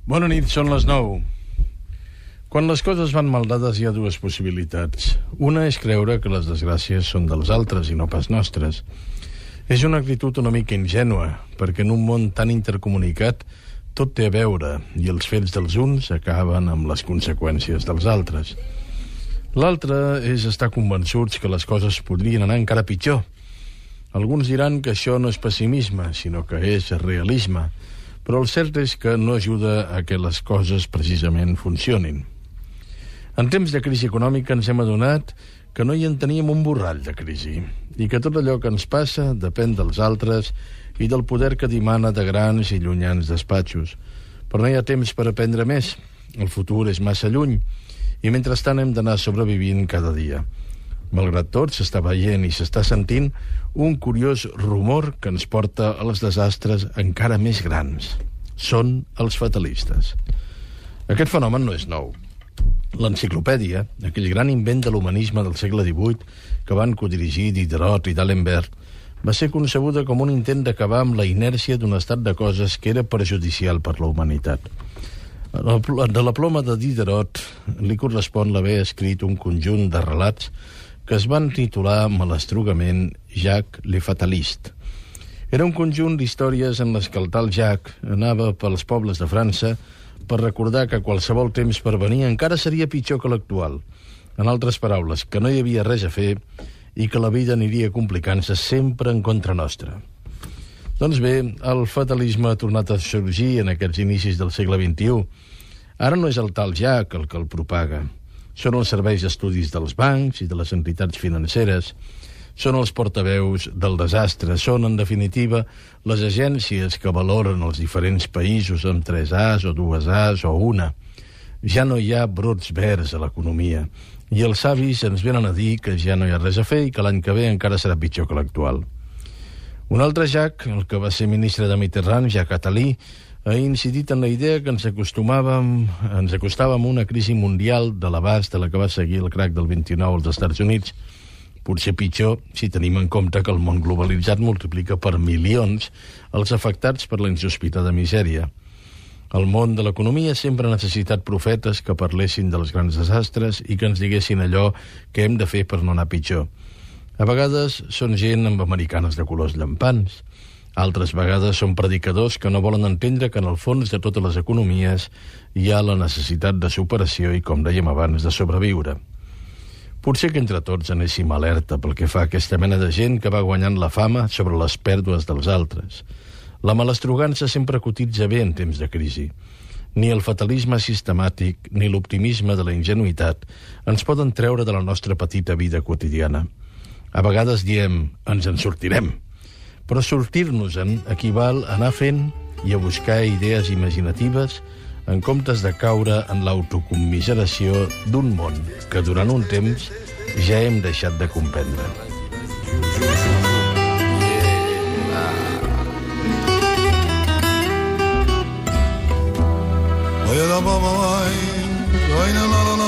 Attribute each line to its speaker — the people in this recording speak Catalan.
Speaker 1: Bona nit, són les 9. Quan les coses van mal dades hi ha dues possibilitats. Una és creure que les desgràcies són dels altres i no pas nostres. És una actitud una mica ingènua, perquè en un món tan intercomunicat tot té a veure i els fets dels uns acaben amb les conseqüències dels altres. L'altra és estar convençuts que les coses podrien anar encara pitjor. Alguns diran que això no és pessimisme, sinó que és realisme, però el cert és que no ajuda a que les coses precisament funcionin. En temps de crisi econòmica ens hem adonat que no hi en teníem un borrall de crisi i que tot allò que ens passa depèn dels altres i del poder que dimana de grans i llunyans despatxos. Però no hi ha temps per aprendre més. El futur és massa lluny i mentrestant hem d'anar sobrevivint cada dia. Malgrat tot, s'està veient i s'està sentint un curiós rumor que ens porta als desastres encara més grans. Són els fatalistes. Aquest fenomen no és nou. L'enciclopèdia, aquell gran invent de l'humanisme del segle XVIII que van codirigir Diderot i D'Alembert, va ser concebuda com un intent d'acabar amb la inèrcia d'un estat de coses que era perjudicial per la humanitat. De la ploma de Diderot li correspon l'haver escrit un conjunt de relats que es van titular malastrugament Jacques le Fataliste. Era un conjunt d'històries en les que el tal Jacques anava pels pobles de França per recordar que qualsevol temps per venir encara seria pitjor que l'actual. En altres paraules, que no hi havia res a fer i que la vida aniria complicant-se sempre en contra nostra. Doncs bé, el fatalisme ha tornat a sorgir en aquests inicis del segle XXI. Ara no és el tal Jacques el que el propaga. Són els serveis d'estudis dels bancs i de les entitats financeres. Són els portaveus del desastre. Són, en definitiva, les agències que valoren els diferents països amb 3 As o 2 As o una. Ja no hi ha brots verds a l'economia. I els savis ens venen a dir que ja no hi ha res a fer i que l'any que ve encara serà pitjor que l'actual. Un altre Jacques, el que va ser ministre de Mitterrand, Jacques Attali, ha incidit en la idea que ens acostàvem a una crisi mundial de l'abast de la que va seguir el crac del 29 als Estats Units. Potser pitjor si tenim en compte que el món globalitzat multiplica per milions els afectats per la insospitada misèria. El món de l'economia sempre ha necessitat profetes que parlessin dels grans desastres i que ens diguessin allò que hem de fer per no anar pitjor. A vegades són gent amb americanes de colors llampants. Altres vegades són predicadors que no volen entendre que en el fons de totes les economies hi ha la necessitat de superació i, com dèiem abans, de sobreviure. Potser que entre tots anéssim alerta pel que fa a aquesta mena de gent que va guanyant la fama sobre les pèrdues dels altres. La malastrugança sempre cotitza bé en temps de crisi. Ni el fatalisme sistemàtic ni l'optimisme de la ingenuïtat ens poden treure de la nostra petita vida quotidiana. A vegades diem, ens en sortirem, però sortir-nos-en equival a anar fent i a buscar idees imaginatives en comptes de caure en l'autocommiseració d'un món que durant un temps ja hem deixat de comprendre.
Speaker 2: Oye la baba, ay, la la la